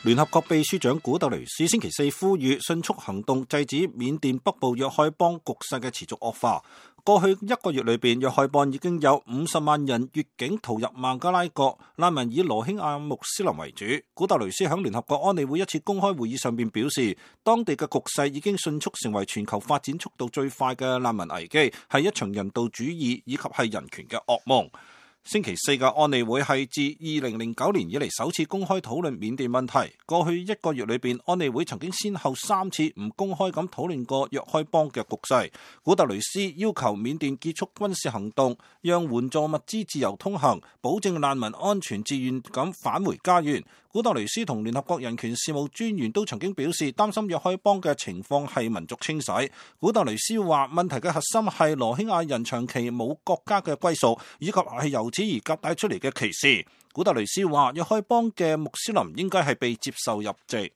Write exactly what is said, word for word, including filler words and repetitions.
聯合國秘書長古特雷斯星期四呼籲迅速行動，制止緬甸北部若開邦局勢嘅持續惡化。過去一個月裏邊，若開邦已經有五十萬人越境逃入孟加拉國，難民以羅興亞穆斯林為主。古特雷斯喺聯合國安理會一次公開會議上邊表示，當地嘅局勢已經迅速成為全球發展速度最快嘅難民危機，係一場人道主義以及係人權嘅噩夢。星期四嘅安理會係自二零零九年以嚟首次公開討論緬甸問題。過去一個月裏邊，安理會曾經先後三次唔公開咁討論過若開邦嘅局勢。古特雷斯要求緬甸結束軍事行動，讓援助物資自由通行，保證難民安全自願咁返回家園。古特雷斯同聯合國人權事務專員都曾經表示擔心若開邦嘅情況係民族清洗。古特雷斯話問題嘅核心係羅興亞人長期冇國家嘅歸屬，以及係由此而夾帶出嚟嘅歧視。古特雷斯話若開邦嘅穆斯林應該係被接受入籍。